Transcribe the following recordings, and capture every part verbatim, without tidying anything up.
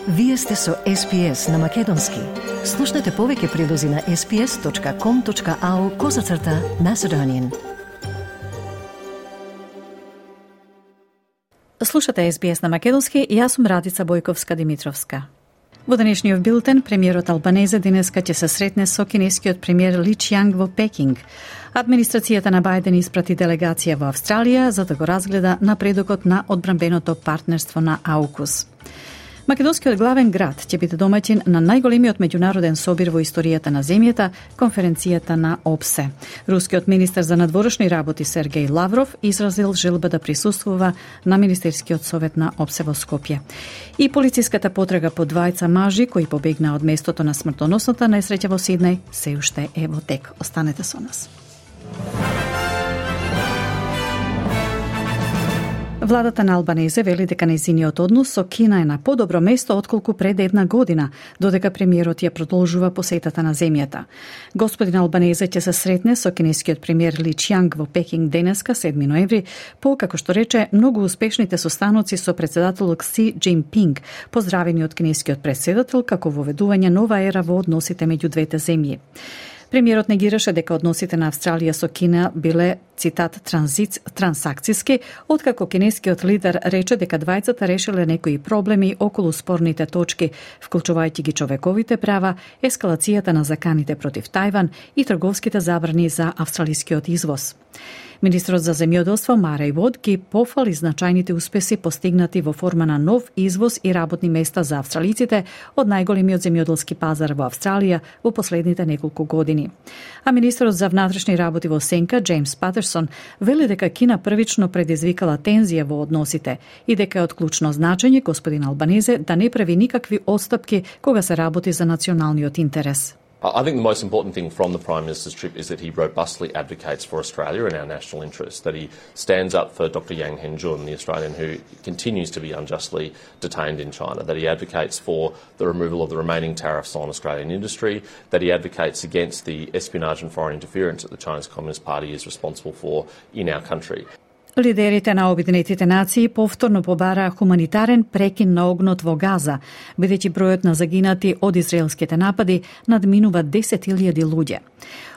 Вие сте со Ес Би Ес на Македонски. Слушнете повеќе прилози на ес би ес точка ком точка ау козацрта Macedonian. Слушате Ес Би Ес на Македонски и јас сум Радица Бојковска-Димитровска. Во денешниот билтен, премиерот Албанезе денеска ќе се сретне со кинескиот премиер Ли Чијанг во Пекинг. Администрацијата на Бајден испрати делегација во Австралија за да го разгледа напредокот на одбранбеното партнерство на АУКУС. Македонскиот главен град ќе биде домаќин на најголемиот меѓународен собир во историјата на земјата, конференцијата на ОБСЕ. Рускиот министер за надворешни работи Сергеј Лавров изразил желба да присуствува на Министерскиот совет на ОБСЕ во Скопје. И полициската потрага по двајца мажи кои побегнаа од местото на смртоносната несреќа во Сиднеј се уште е во тек. Останете со нас. Владата на Албанезе вели дека нејзиниот однос со Кина е на подобро место отколку пред една година, додека премиерот ја продолжува посетата на земјата. Господин Албанезе ќе се сретне со кинескиот премиер Ли Чијанг во Пекинг денеска, седми ноември, по, како што рече, многу успешните состаноци со претседателот Си Џинпинг, поздравени од кинескиот претседател како воведување нова ера во односите меѓу двете земји. Премиерот негираше дека односите на Австралија со Кина биле, цитат, транзиц, трансакциски, откако кинескиот лидер рече дека двајцата решиле некои проблеми околу спорните точки, вклучувајќи ги човековите права, ескалацијата на заканите против Тајван и трговските забрани за австралискиот извоз. Министрот за земјоделство Мареј Вод ги пофали значајните успеси постигнати во форма на нов извоз и работни места за австралиците од најголемиот земјоделски пазар во Австралија во последните неколку години. А министрот за внатрешни работи во Сенка, Џејмс Патерсон, вели дека Кина првично предизвикала тензија во односите и дека е од клучно значење господин Албанезе да не прави никакви отстапки кога се работи за националниот интерес. I think the most important thing from the Prime Minister's trip is that he robustly advocates for Australia and our national interests, that he stands up for Doctor Yang Hengjun, the Australian who continues to be unjustly detained in China, that he advocates for the removal of the remaining tariffs on Australian industry, that he advocates against the espionage and foreign interference that the Chinese Communist Party is responsible for in our country. Лидерите на Обединетите нации повторно побараа хуманитарен прекин на огнот во Газа, бидејќи бројот на загинати од израелските напади надминува десет илјади луѓе.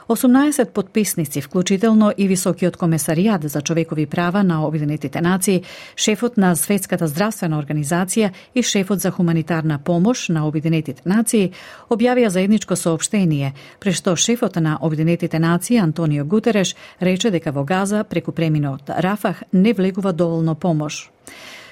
осумнаесет потписници, вклучително и Високиот комесаријат за човекови права на Обединетите нации, шефот на Светската здравствена организација и шефот за хуманитарна помош на Обединетите нации, објавија заедничко соопштение, при што шефот на Обединетите нации Антонио Гутереш рече дека во Газа преку преминот Рафах не влегува доволно помош.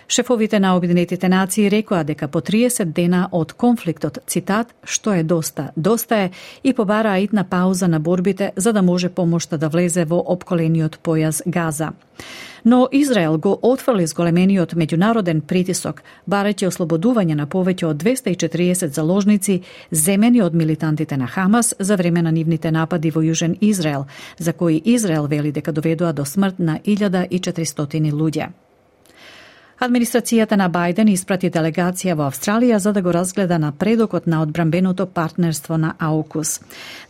Шефовите на Обединетите нации рекоа дека по триесет дена од конфликтот, цитат, што е доста, доста е, и побараа итна пауза на борбите за да може помошта да влезе во опколениот појас Газа. Но Израел го отфрли зголемениот меѓународен притисок, барајќи ослободување на повеќе од двесте и четириесет заложници земени од милитантите на Хамас за време на нивните напади во Јужен Израел, за кои Израел вели дека доведоа до смрт на илјада и четиристотини луѓе. Администрацијата на Бајден испрати делегација во Австралија за да го разгледа напредокот на одбранбеното партнерство на АУКУС.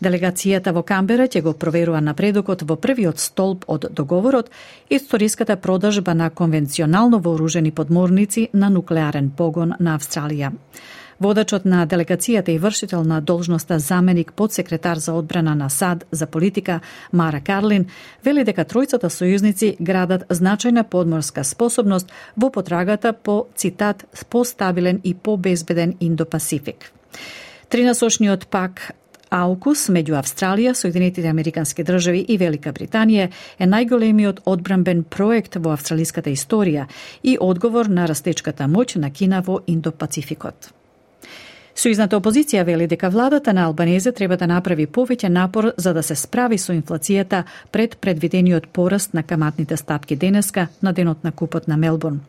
Делегацијата во Камбера ќе го проверува напредокот во првиот столб од договорот, историската продажба на конвенционално вооружени подморници на нуклеарен погон на Австралија. Водачот на делегацијата и вршител на должноста заменик подсекретар за одбрана на САД за политика Мара Карлин вели дека тројцата сојузници градат значајна подморска способност во потрагата по, цитат, постабилен и побезбеден Индо-Пасифик. Тринасочниот пак АУКУС меѓу Австралија, Соединетите Американски држави и Велика Британија е најголемиот одбранбен проект во австралиската историја и одговор на растечката моќ на Кина во Индо-Пацификот. Сојузната опозиција вели дека владата на Албанезе треба да направи повеќе напор за да се справи со инфлацијата пред предвидениот пораст на каматните стапки денеска на денот на купот на Мелбурн.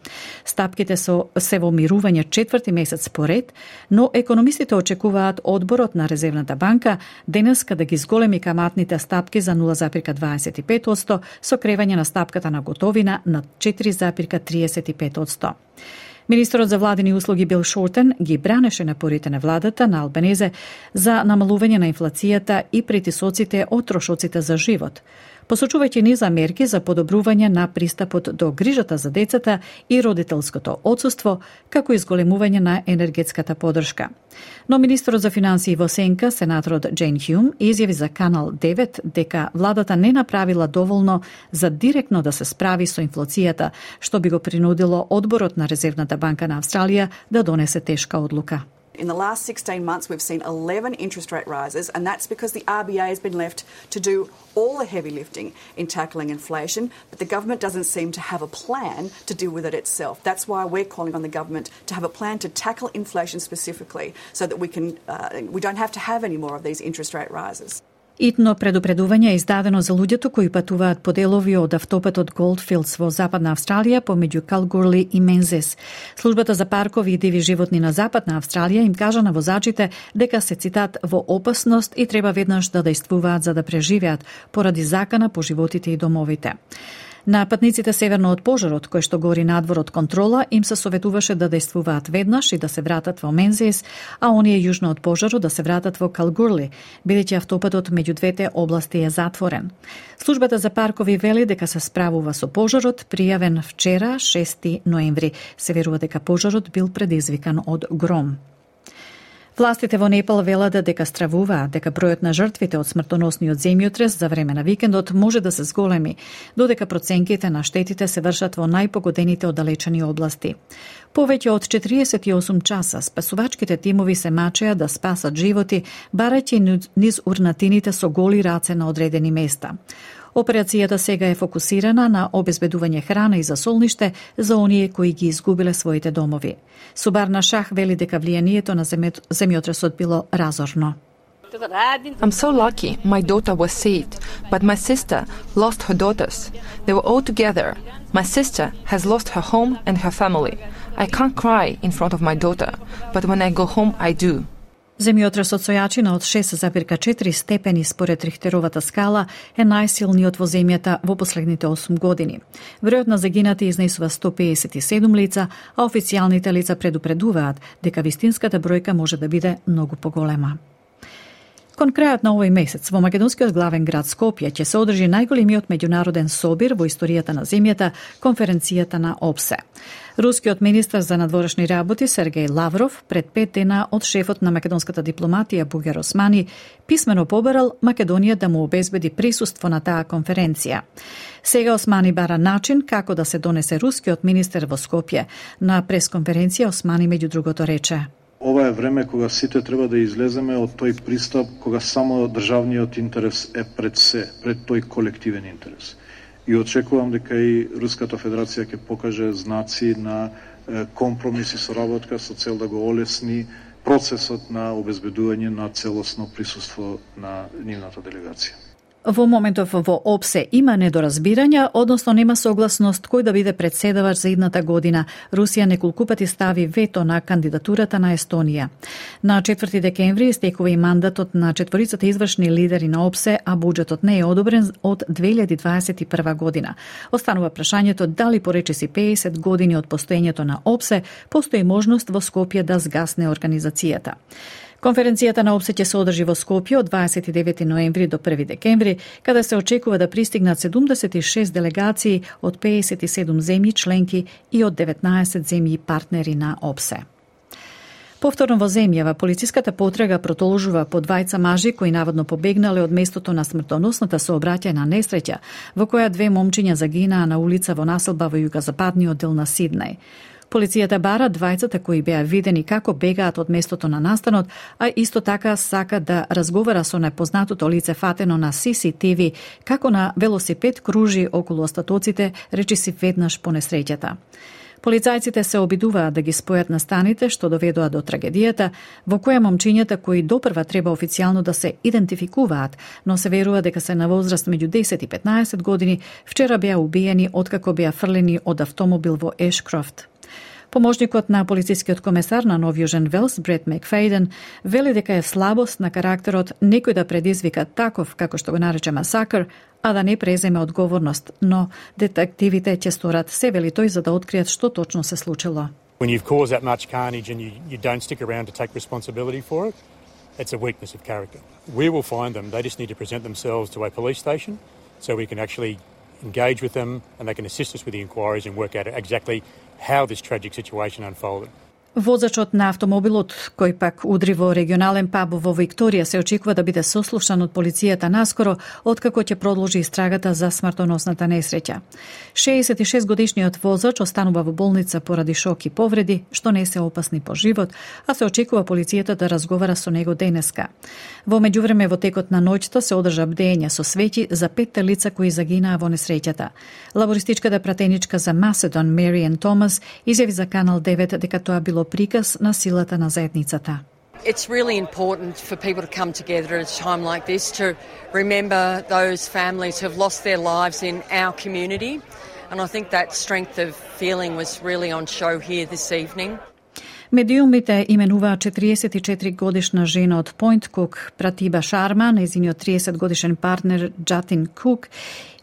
Стапките со се во мирување четврти месец поред, но економистите очекуваат одборот на Резервната банка денеска да ги зголеми каматните стапки за нула зарез дваесет и пет одсто со кревање на стапката на готовина на четири зарез триесет и пет одсто. Министерот за владени услуги Бил Шортен ги бранеше напорите на владата на Албанезе за намалување на инфлацијата и притисоците од трошоците за живот. посочувајќи низ мерки за подобрување на пристапот до грижата за децата и родителското отсуство, како и зголемување на енергетската поддршка. Но министерот за финансии во сенка, сенаторот Джейн Хјум, изјави за Канал девет дека владата не направила доволно за директно да се справи со инфлацијата, што би го принудило одборот на Резервната банка на Австралија да донесе тешка одлука. In the last sixteen months, we've seen eleven interest rate rises, and that's because the R B A has been left to do all the heavy lifting in tackling inflation, but the government doesn't seem to have a plan to deal with it itself. That's why we're calling on the government to have a plan to tackle inflation specifically, so that we can uh, we don't have to have any more of these interest rate rises. Итно предупредување е издадено за луѓето кои патуваат по делови од автопатот Голдфилдс во Западна Австралија помеѓу Калгурли и Мензес. Службата за паркови и диви животни на Западна Австралија им кажа на возачите дека се, цитат, во опасност и треба веднаш да дејствуваат за да преживеат поради закана по животите и домовите. На патниците северно од пожарот, кој што гори надвор од контрола, им се советуваше да дејствуваат веднаш и да се вратат во Мензес, а оние јужно од пожарот да се вратат во Калгурли, бидејќи автопатот меѓу двете области е затворен. Службата за паркови вели дека се справува со пожарот, пријавен вчера, шести ноември. Се верува дека пожарот бил предизвикан од гром. Властите во Непал велат дека стравуваат дека бројот на жртвите од смртоносниот земјотрес за време на викендот може да се зголеми, додека проценките на штетите се вршат во најпогодените оддалечени области. Повеќе од четириесет и осум часа спасувачките тимови се мачеа да спасат животи, барајќи низ урнатините со голи раце на одредени места. Операцијата сега е фокусирана на обезбедување храна и засолниште за оние кои ги изгубиле своите домови. Субарна Шах вели дека влијанието на земјотресот било разорно. I'm so lucky my daughter was saved, but my sister lost her daughters. They were all together. My sister has lost her home and her family. I can't cry in front of my daughter, but when I go home I do. Земјотресот со јачина од шест зарез четири степени според Рихтеровата скала е најсилниот во земјата во последните осум години. Бројот на загинати изнесува сто педесет и седум лица, а официјалните лица предупредуваат дека вистинската бројка може да биде многу поголема. Кон крајот на овој месец во македонскиот главен град Скопје ќе се одржи најголемиот меѓународен собир во историјата на земјата, конференцијата на ОПСЕ. Рускиот министар за надворешни работи Сергеј Лавров пред пет дена од шефот на македонската дипломатија Бугер Османи писмено побарал Македонија да му обезбеди присуство на таа конференција. Сега Османи бара начин како да се донесе рускиот министер во Скопје. На пресконференција Османи меѓу другото рече: Ова е време кога сите треба да излеземе од тој пристап кога само државниот интерес е пред се, пред тој колективен интерес. И очекувам дека и Руската Федерација ќе покаже знаци на компромис и соработка со цел да го олесни процесот на обезбедување на целосно присуство на нивната делегација. Во моментов во ОПСЕ има недоразбирања, односно нема согласност кој да биде председавач за идната година. Русија неколку пати стави вето на кандидатурата на Естонија. На четврти декември истекува и мандатот на четворицата извршни лидери на ОПСЕ, а буџетот не е одобрен од две илјади дваесет и прва година. Останува прашањето дали по речиси педесет години од постоењето на ОПСЕ постои можност во Скопје да згасне организацијата. Конференцијата на ОПСЕ ќе се одржи во Скопје од дваесет и девети ноември до први декември, каде се очекува да пристигнат седумдесет и шест делегации од педесет и седум земји членки и од деветнаесет земји партнери на ОПСЕ. Повторно во земјава, полициската потрага продолжува по двајца мажи кои наводно побегнале од местото на смртоносната сообраќајна несреќа, во која две момчиња загинаа на улица во населба во југозападниот дел на Сиднеј. Полицијата бара двајцата кои беа видени како бегаат од местото на настанот, а исто така сака да разговара со непознатото лице фатено на Си Си Ти Ви, како на велосипед кружи околу остатоците, речиси веднаш по несреќата. Полицајците се обидуваат да ги спојат настаните, што доведоа до трагедијата, во која момчињата кои допрва треба официјално да се идентификуваат, но се верува дека се на возраст меѓу десет и петнаесет години, вчера беа убиени откако беа фрлени од автомобил во Ешкрофт. Поможникот на полицискиот комесар на Нов Јужен Велс, Брет Макфейден, вели дека е слабост на карактерот некој да предизвика таков, како што го нарече масакр, а да не преземе одговорност, но детективите ќе сторат се, вели тој, за да откријат што точно се случило. When you've caused that much carnage and you, you don't stick around to take responsibility for it, it's a weakness of character. We will find them. They just need to present themselves to a police station so we can actually engage with them and they can assist us with the inquiries and work out exactly how this tragic situation unfolded. Возачот на автомобилот, кој пак удри во регионален паб во Викторија, се очекува да биде сослушан од полицијата наскоро, откако ќе продолжи истрагата за смртоносната несреќа. шеесет и шест годишниот возач останува во болница поради шок и повреди, што не се опасни по живот, а се очекува полицијата да разговара со него денеска. Во меѓувреме, во текот на ноќта се одржа бдење со свети за петте лица кои загинаа во несреќата. Лабористичката пратеничка за Macedon, Marian Thomas, изјави за Канал девет дека тоа било приказ на силата на заедницата. It's really important for people to come together at a time like this to remember those families who have lost their lives in our community. And I think that strength of feeling was really on show here this evening. Медиумите именуваа четириесет и четири годишна жена од Point Cook, Пратиба Шарма, нејзиниот триесет годишен партнер Джатин Кук,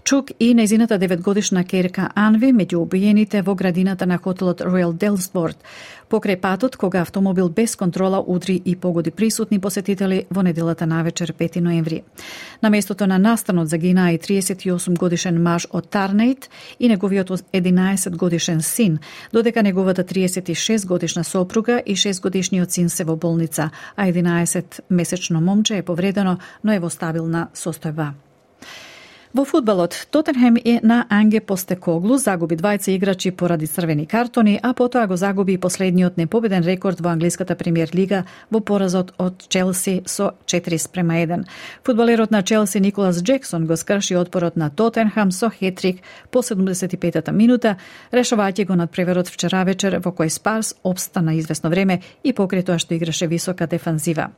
Чук и нејзината девет годишна керка Анви меѓу убиените во градината на хотелот Royal Delsford, покрај патот кога автомобил без контрола удри и погоди присутни посетители во неделата навечер пети ноември. На местото на настанот загинаа и триесет и осум годишен маж од Тарнейт и неговиот единаесет годишен син, додека неговата триесет и шест годишна сопруга и шест годишниот син се во болница, а единаесет месечно момче е повредено, но е во стабилна состојба. Во фудбалот, Тотенхем е на Анге Постекоглу загуби двајца играчи поради црвени картони, а потоа го загуби и последниот непобеден рекорд во англиската премиер лига во поразот од Челси со четири спрема еден. Фудбалерот на Челси Николас Джексон го скрши отпорот на Тотенхам со хетрик по седумдесет и петата минута, решавајќи го надпреверот вчера вечер во кој Спарс обстана извесно време и покрај тоа што играше висока дефанзива.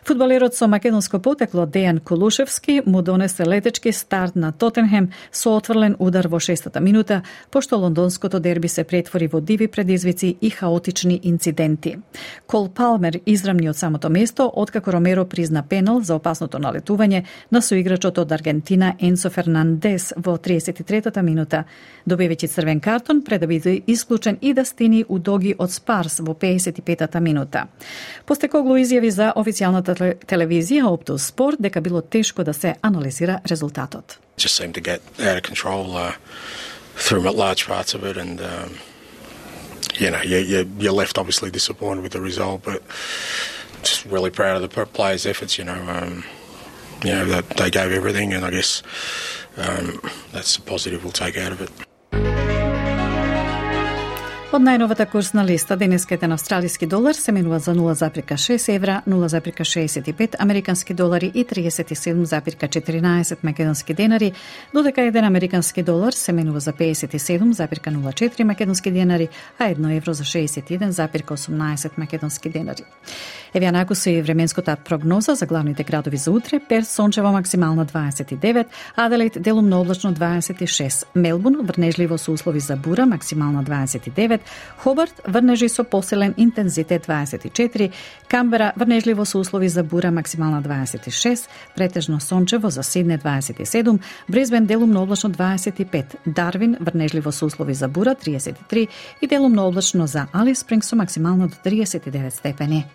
Фудбалерот со македонско потекло Дејан Кулушевски му донесе летечки старт на Тотенхем со отврлен удар во шестата минута, пошто лондонското дерби се претвори во диви предизвици и хаотични инциденти. Кол Палмер израмни од самото место, откако Ромеро призна пенал за опасното налетување на соиграчот од Аргентина Енцо Фернандес во триесет и третата минута, добивајќи црвен картон пред да биде исклучен и да стини Удоги од Спарс во пеесет и петата минута. Постекоглу изјави за официјалната телевизија Optus Sport дека било тешко да се анализира резултатот. Just seemed to get out of control uh, through large parts of it, and um, you know, you, you, you're left obviously disappointed with the result, but just really proud of the players' efforts. You know, um, you know that they gave everything, and I guess um, that's the positive we'll take out of it. Од најновата курсна листа, денеска еден австралиски долар се менува за нула запирка шест евра, нула запирка шеесет и пет американски долари и триесет и седум запирка четиринаесет македонски денари, додека еден американски долар се менува за пеесет и седум запирка нула четири македонски денари, а едно евро за шеесет и еден запирка осумнаесет македонски денари. Еве анаку се и временската прогноза за главните градови за утре: Перт сончево максимална дваесет и девет, Аделаид делумно облачно дваесет и шест, Мелбурн врнежливо со услови за бура максимална дваесет и девет, Хобарт врнежи со посилен интензитет дваесет и четири, Камбера врнежливо со услови за бура максимална дваесет и шест, претежно сончево за Сидне дваесет и седум, Брисбен делумно облачно дваесет и пет, Дарвин врнежливо со услови за бура триесет и три и делумно облачно за Алис Спрингс со максимално до триесет и девет степени.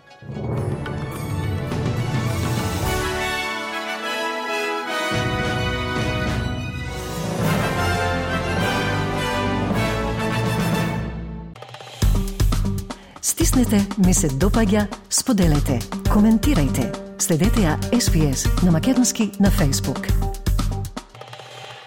Стиснете, ми се допаѓа, споделете, коментирајте. Следете ја Ес Би Ес на македонски на Facebook.